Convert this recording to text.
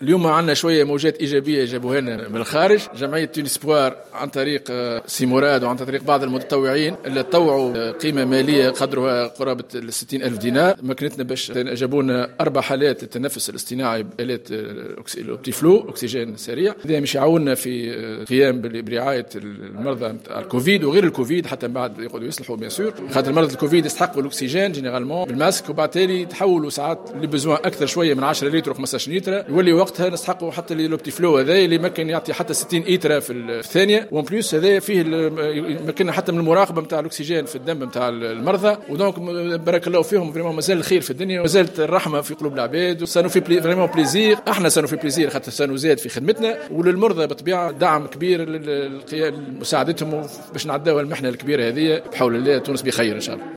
اليوم عندنا شوية موجات ايجابية جابوها لنا من الخارج، جمعية Tunispoir عن طريق سي مراد وعن طريق بعض المتطوعين اللي تطوعوا قيمة ماليه قدرها قرابة ال 60 الف دينار، مكنتنا باش جابوا لنا اربع حالات للتنفس الاصطناعي بالات ال Optiflow، اكسجين سريع. هذا مش يعاوننا في قيام برعاية المرضى نتاع الكوفيد وغير الكوفيد، حتى من بعد يقعدوا يصلحوا bien sûr، خاطر مرضى الكوفيد يستحقوا الاكسجين généralement بال masque، وبعد تالي يتحولوا ساعات les besoins اكثر شوية من 10 لتر و 15 لتر، يولي وقتها نستحقوا حتى l'Optiflow هذا اللي ممكن يعطي حتى 60 لتر في الثانيه. و en plus هذا فيه يمكننا حتى من المراقبة نتاع الاكسجين في الدم نتاع المرضى. و donc بارك الله فيهم، vraiment مازال الخير في الدنيا ومازالت الرحمة في قلوب العباد. ça nous fait vraiment plaisir، احنا ça nous fait plaisir خاطر ça nous aide في خدمتنا، وللمرضى بالطبيعة دعم كبير لمساعدتهم باش نعداو المحنة الكبيرة هذه. بحول الله تونس بخير ان شاء الله.